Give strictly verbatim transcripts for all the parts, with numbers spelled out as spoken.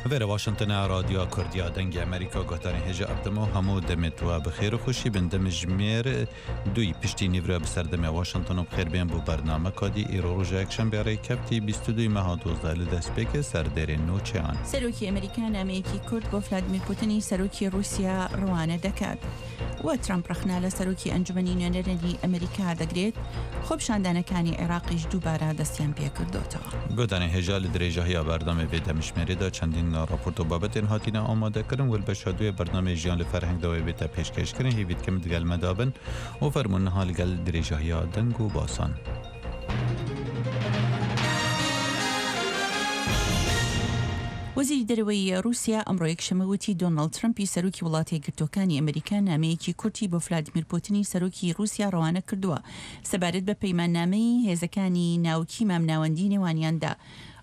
Vêre Washington e, Radyoya Kurdiya Dengê Amerîka, guhdarên hêja ev dem û hemû demê tu we bi xêr û xweşî bin. Demjimêr duyî piştî nîvra bi ser demê Washington û bi xêr bên bo bernameka dî. Îro roja yekşembe rêkefta bîst û duyê meha dozdeh li destpêkê ser dêrên nûçeyan. Serokê Amerîka nameyekî kurt bo Vladimir Putinî serokê Rûsya rewane diket. We Trump rexna li serokê Encûmenî Nûnerên Amerîka digirêt, xwepişandanekê Iraqî jî dubare destiyên pê kirdotî. Guhdarên hêja, li dirêjahiya bernamê vê demjimêrê de çendîn raport û babetên hatine amadekirin. Li beşa duyê bernamê Jiyan li Ferheng de wê bête pêşkêşkirin. Hêvî dikim digel me de bin û fermûn niha li gel dirêjahiya deng û basan. Wezîrî Dereweyî Rûsya emro yekşemê witî Donald Trumpî serokî Welatê Yekgirtûkê Amerîka nameyekî kurtî bo Vladimir Putinî serokî Rûsya rewane kirduwe. Sebaret bi peymannameyî hêzekî navkî mamnawendî nêwaniyan de.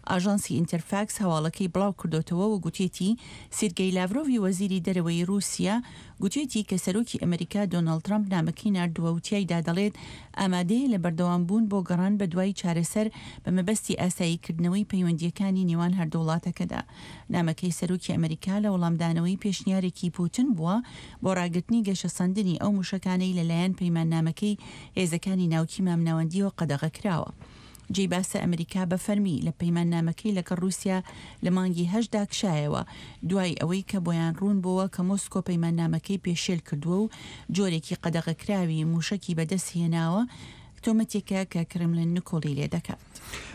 Ajansî Interfax hewalekî belaw kirdotewe û gotiyetî, Sergey Lavrovî wezîrî dereweyî Rûsya gotiyetî ke serokî Amerîka Donald Trump namekî nardiwe û tiyayî de dilet, amade ye li berdewambûn bo geran bi duyî çareser bi mebestî asayîkirdinewî peywendiyekî nêwan her du welateke de. Namekê serokî Amerîka li welamdanewî pêşniyarêkî Putin buwa bo ragirtinî geşesandinî ew mûşekaneyî li layen peymannamekî hêzekî navkî mamnawendî we qedexe kirawe. Cêy bas e, Amerîka bi fermî li peymannamekî legel Rûsya li mangî heşt de kişayewe, duyî ewî ke boyan rûn buwe ke Mosko peymannamekî pêşêl kirduwe û corekî qedexekirawî mûşekî bi dest hênawe, tometeke ke Kremlin nikolî lê diket.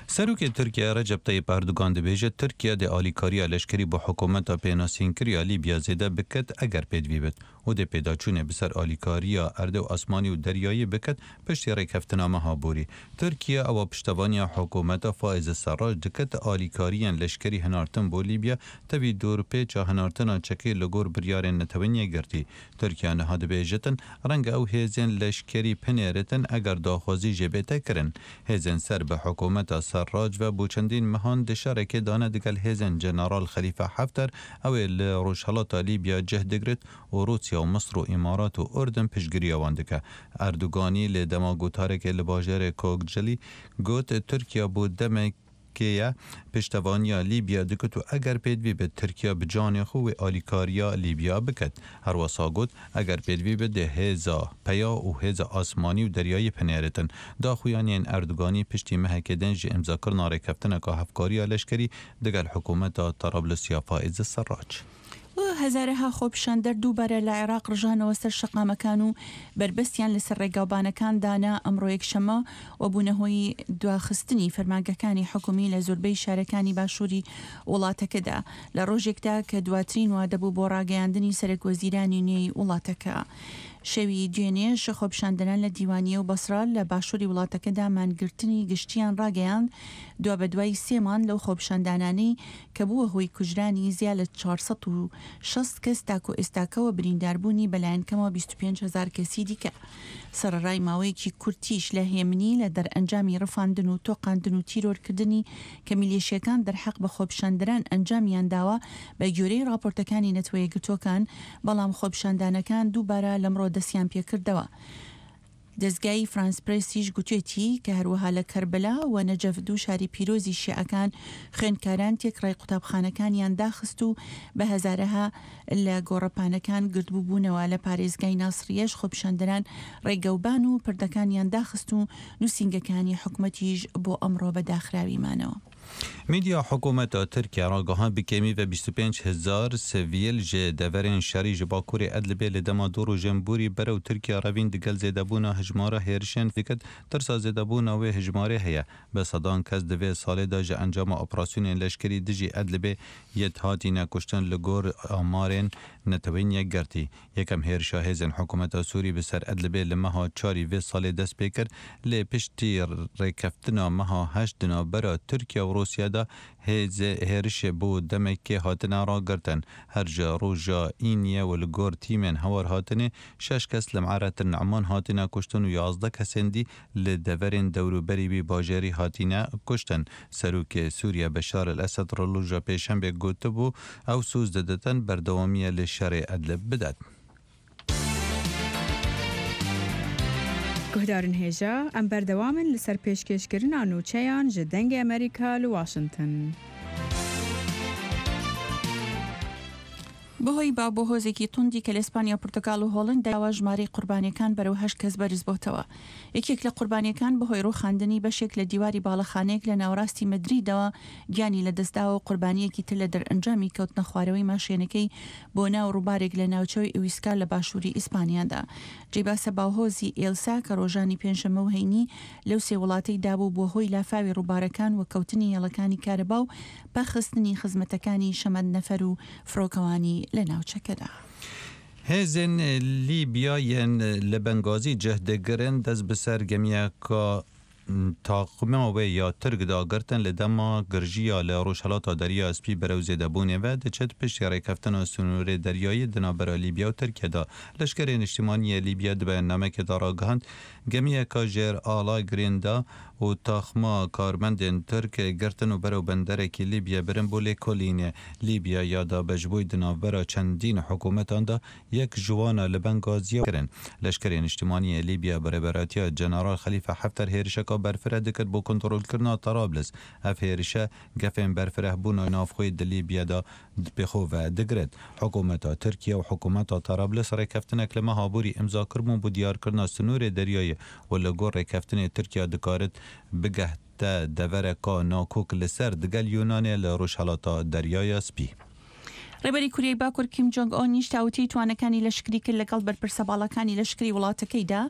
Serokê Tirkiye Recep Tayyip Erdogan dibêje, Tirkiye dê alîkariya leşkerî bo hikûmeta pênasînkirî ya Lîbya zêde biket eger pêdivî bit û dê pêdaçûnê bi ser alîkariya erdê û asmanî û deryayî biket piştî rêkeftina meha borî. Tirkiye ewa piştevaniya hikûmeta Faiz Serrac diket, alîkariyên leşkerî hinartin bo Lîbya tevî dorpêça hinartina çekê li gor biryarên Netewên Yekgirtî. Tirkiye niha dibêjitin, renge ew hêzên leşkerî binêritin eger daxwazî jê bête kirin. Hêzên ser bi hikûmeta Serrac ve bo çendîn mehan di şerekê de ne digel hêzên General Xelîfe Hafter, ew ê li rojhilata Lîbya cih digirt û Rûsya û Misir û Îmarat û Urdun piştgiriya wan dike. Erdoganî lê dema gotarekê li bajarê Kokcilî got, Tirkiye bo demekê ye piştevaniya Lîbya dikit û eger pêdivî bit, Tirkiye bi canê xwe wê alîkariya Lîbya biket. Herwesa got, eger pêdivî bit, dê hêza peya û hêza asmanî û deryayî binêritin. Daxuyaniyên Erdoganî piştî mehekê din ji îmzakirina rêkeftineka hevkariya leşkerî digel hikûmeta Tarablusiya Faiz Serrac. û hezareha xwepişander dubare li Iraq rijanەوە ser şەقامەکان و بربەستیان لەسەر ڕێگاوبانەکان دانا ئەمڕۆ یەکشەممە و بوونە هۆی دواخستنی فەرمانگەکانی حکومی لە زۆربەی شارەکانی باشووری وڵاتەکەدا، لە ڕۆژێکدا کە دواترین وادە بوو بۆ ڕاگەیاندنی سەرەک وەزیرانی نوێی وڵاتەکە. شەوی دوێنێ خۆپیشاندەران لە دیوانیە و بەسرا لە باشووری وڵاتەکەدا مانگرتنی گشتیان ڕاگەیاند، دوا بە دوای سێ مانگ لەو خۆپیشاندانانەی کە بووە هۆی کوژرانی زیاد لە چوار سەد و شەست کەس، تاکو ئێستاکەوە برینداربوونی بەلایەن کەمەوە بیست و پێنج هەزار کەسی دیکە. سەرەڕای ماوەیەکی کورتیش لە هێمنی لە دەرئەنجامی ڕفاندن و تۆقاندن و تیرۆرکردنی کە میلیشیەکان دەرحەق بە خۆپیشاندەران ئەنجامیان داوە، بە گوێرەی راپۆرتەکانی نەتەوە یەکگرتووەکان، بەڵام خۆپیشاندانەکان دووبارە لەمڕۆ دەستیان پێکردەوە. دەزگای فرانس پرێسیش گوتێتی کە هەروەها لە کەربەلا و نەجەف، دوو شاری پیرۆزی شیعەکان، خوێندکاران تێکڕای قوتابخانەکانیان داخست و بە هەزارەها لە گۆڕەپانەکان گردبووبوونەوە. لە پارێزگای ناسریەش خۆپیشاندەران ڕێگەوبان و پردەکانیان داخست و نووسینگەکانی حکومەتیش بۆ ئەمڕۆ بە داخراوی مانەوە. Medya hikûmeta Tirkiye ragihand bi kêmî ve bîst û pênc hezar sivîl ji deverên şerî ji bakurê Idlibê li dema du rojên borî berew Tirkiye revîn, digel zêdebûna hejmara hêrişên diket, tirsa zêdebûna wê hejmarê heye. Bi sedan kes di vê salê de ji encama operasyonên leşkerî dijî Idlibê yêt hatine kuştin, li gor amarên Netewên Yekgirtî. Yekem hêrişa hêzên hikûmeta Sûrî bi ser Idlibê li meha çarî vê salê dest pê kir, lê piştî rêkeftina meha heşt di navbera Tirkiye û Rûsya de hêzê hêrişê bo demekê hatine ragirtin. Her ji roja Îniyê û li gor tîmên hewarhatinê şeş kes li Me'retin Ne'man hatine kuştin û yazdeh kesên dî li deverên dewrûberî wî bajarî hatine kuştin. Serokê Sûriye Beşar el Esed roja Pêşembê gotibû, ew soz diditin berdewamiye li şerê Idlib bidet. Guhdarên hêja, em berdewam in li ser pêşkêşkirina nûçeyan ji Dengê Amerîka li Washington. بەهۆی با بۆ هۆزێکی توندی کە لە ئیسپانیا، پورتگال و هۆڵنداوە، ژمارەی قوربانیەکان بەرەو هەشت کەس بەرز بۆتەوە. یەکێک لە قوربانیەکان بەهۆی ڕووخاندنی بەشێک لە دیواری باڵەخانەیەک لە ناوەڕاستی مەدریدەوە گیانی لەدەستداوە و قوربانیەکی تر لە دەرئەنجامی کەوتنە خوارەوەی ماشێنەکەی بۆ ناو ڕووبارێک لە ناوچەوەی ئویسکار لە باشووری ئیسپانیادا. جێی باسە، باوهۆزی ئێلسا کە ڕۆژانی پێنجشەممە و هەینی لەو سێ وڵاتەی دابوو، بۆ هۆی لافاوی ڕووبارەکان و کەوتنی هێڵەکانی کارەبا و پەخستنی خزمەتەکانی شەمەندنەفەر و فڕۆکەوانی لە ناوچەکەدا. Hêzên Lîbya yên li Bengazî cih digirin, dest bi ser gemiyeka taqma wê ya Tirk de girtin, li dema girjiya li Rojhelata Derya Spî berew zêdebûnê ve diçit. Piştî rêkeftina sînorê deryayî di navbera Lîbya û Tirkiye de, Leşkerê Niştimanî yê Lîbya di beyannamekê de ragihand, gemiyeka jêr ala Grênda û taxma karmendên Tirk girtin û berew benderekî Lîbya birin bo lêkolînê. Lîbya ya dabeşbûyî di navbera çendîn hikûmetan de yek ji wan a li Bengaziya kirin. Leşkerê Niştimanî yê Lîbya bi rêberatiya General Xelîfe Hefter hêrişeka berfireh dikir bo kontrolkirina Tarablis. Ev hêrişe gefên berfirehbûna navxweyî di Lîbya de pêxwe ve digirt. Hikûmeta Tirkiye û hikûmeta Tarablis rêkeftinek li meha borî îmza kiribûn bo diyarkirina sînorê deryayê û li gor rêkeftinê Tirkiye dikarit bigehte devereka nakok li ser digel Yunanê li Rojhelata Deryaya Spî. ڕێبەری کوریای باکوور کیم جۆنگ ئۆنیش تاوتوێی توانەکانی لەشکری کرد لەگەڵ بەرپرسە باڵەکانی لەشکری وڵاتەکەیدا.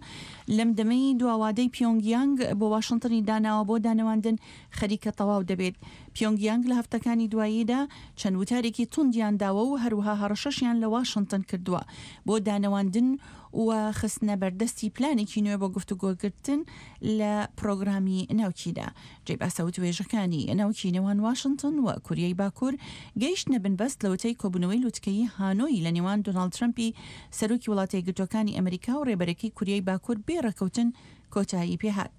لەم دەمەی دواوادەی پیۆنگیانگ بۆ واشنگتنی داناوە بۆ دانەواندن خەریکە تەواو دەبێت. پیۆنگیانگ لە هەفتەکانی دواییدا چەند وتارێکی توندیان داوە و هەروەها هەڕەشەشیان لە واشنگتن کردووە بۆ دانەواندن و خستنە بەردەستی پلانێکی نوێ بۆ گفتوگۆگرتن لە پرۆگرامی ناوکیدا. جێی باسە، وتوێژەکانی ناوکی نێوان واشنگتن و کوریای باکوور گەیشتنە بنبەست لە وتەی کۆبوونەوەی لوتکەیی هانۆی لە نێوان دۆناڵد ترەمپی سەرۆکی وڵاتە یەکگرتووەکانی ئەمریکا و ڕێبەرەکەی کوریای باکوور بێ ڕێکەوتن کۆتایی پێهات.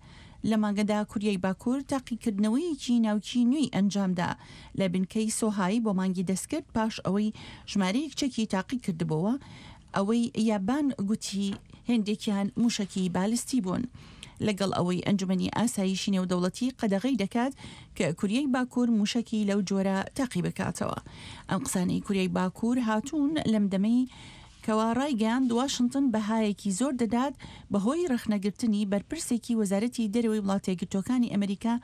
لە مانگەدا کوریای باکوور تاقیکردنەوەیەکی ناوکی نوێی ئەنجامدا لە بنکەی سۆهای بۆ مانگی دەستکرد، پاش ئەوەی ژمارەیەک چەکی تاقی کردبووە، ئەوەی یابان گوتی هێندێکیان موشەکی بالستی بوون. لەگەڵ ئەوەی ئەنجومەنی ئاسایشی نێودەوڵەتی قەدەغەی دەکات کە کوریای باکوور موشەکی لەو جۆرە تاقی بکاتەوە. ئەم قسانەی کوریای باکوور هاتوون لەم دەمەی کەوا ڕایگەیاند واشنگتن بەهایەکی زۆر دەدات بەهۆی ڕەخنەگرتنی بەرپرسێکی وەزارەتی دەرەوەی وڵاتە یەکگرتووەکانی ئەمریکا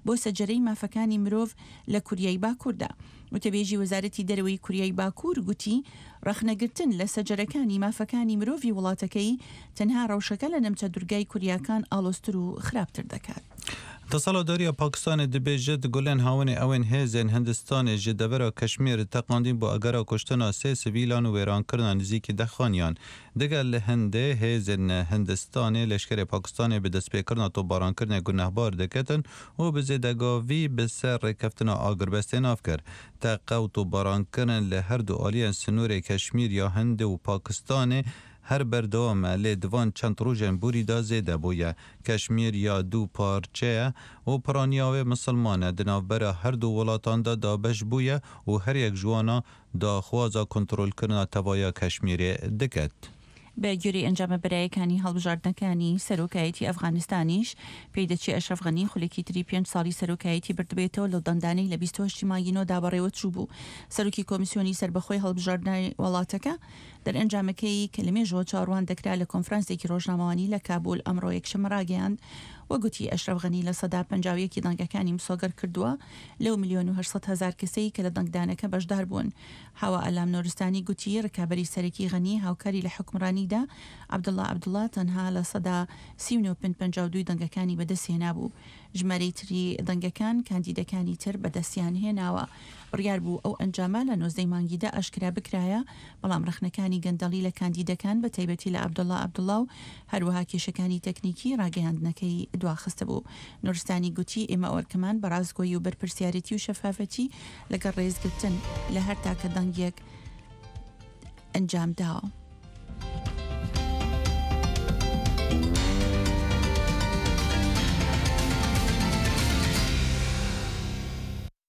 بۆ سەجەرەی مافەکانی مرۆڤ لە کوریای باکووردا. وتەبێژی وەزارەتی دەرەوەی کوریای باکوور گوتی ڕەخنەگرتن لە سەجەرەکانی مافەکانی مرۆڤی وڵاتەکەی تەنها ڕەوشەکە لە نەمچە دورگای کوریاکان ئاڵۆزتر و خراپتر دەکات. Desthilatdariya Pakistanê dibêje, di gulên hawinê ew ên hêzên Hindistanê ji devera Keşmîr teqandîn bo agera kuştina sê sivîlan û wêrankirina nizîkî deh xaniyan. Digel li Hindê hêzên Hindistanê leşkerê Pakistanê bi destpêkirina topbarankirinê gunehbar diketin û bi zêdegavî bi ser rêkeftina agirbestê nav kir. Teqe û topbarankirin li her du aliyên sînorê Keşmîr ya Hindê û Pakistanê her berdewam e, lê di van çend rojên borî de zêde bûye. Keşmîr ya du parçe ye û piraniya wê misilman e. Di navbera her du welatan de dabeş bûye û her yek ji wana daxwaza kontrolkirina tevaya Keşmîrê diket. بە گوێرەی ئەنجامە بەرایەکانی هەڵبژاردنەکانی سەرۆکایەتی ئەفغانستانیش، پێی دەچێ ئەشرەف غەنی خولێکی تری پێنج ساڵی سەرۆکایەتی بردبێتەوە لەو دەنگدانەی لە بیست و هەشتی مانگی نۆدا بەڕێوە چوو بوو. سەرۆکی کۆمیسیۆنی سەربەخۆی هەڵبژاردنەوەی وڵاتەکە دەرئەنجامەکەی کە لەمێژەوە چاوەڕوان دەکرا لە کۆنفرانسێکی ڕۆژنامەوانی لە کابول ئەمڕۆ یەکشەممە ڕاگەیاند و گوتی ئەشرەف غەنی لە سەدا پەنجا و یەکی دەنگەکانی مسۆگەر کردووە لەو ملیۆن و هەشت سەد هەزار کەسەی کە لە دەنگدانەکە بەشدار بوون. هاوا ئەلام نۆرستانی گوتی ڕکابەری سەرەکی غەنی هاوکاری لە حکمڕانیدا عەبدوڵڵا عەبدوڵڵا تەنها لە سەدا سی و نۆ پنج پەنجا و دوو دەنگەکانی بەدەستهێنابوو. ژمارەی تری دەنگەکان کاندیدەکانی تر بەدەستیان هێناوە. بڕیار بوو ئەو ئەنجامە لە نۆزدەی مانگیدا ئاشکرا بکرایە، بەڵام ڕەخنەکانی گەندەڵی لە کاندیدەکان، بە تایبەتی لە عەبدوڵڵا عەبدوڵڵا و هەروەها کێشەکانی تەکنیکی ڕاگەیاندنەکەی دواخستبوو. نورستانی گوتی ئێمە ئەوەرکەمان بە ڕاستگۆیی و بەرپرسیارەتی و شەفافەتی لەگەڵ ڕێزگرتن لە هەر تاکە دەنگێک ئەنجام داوە.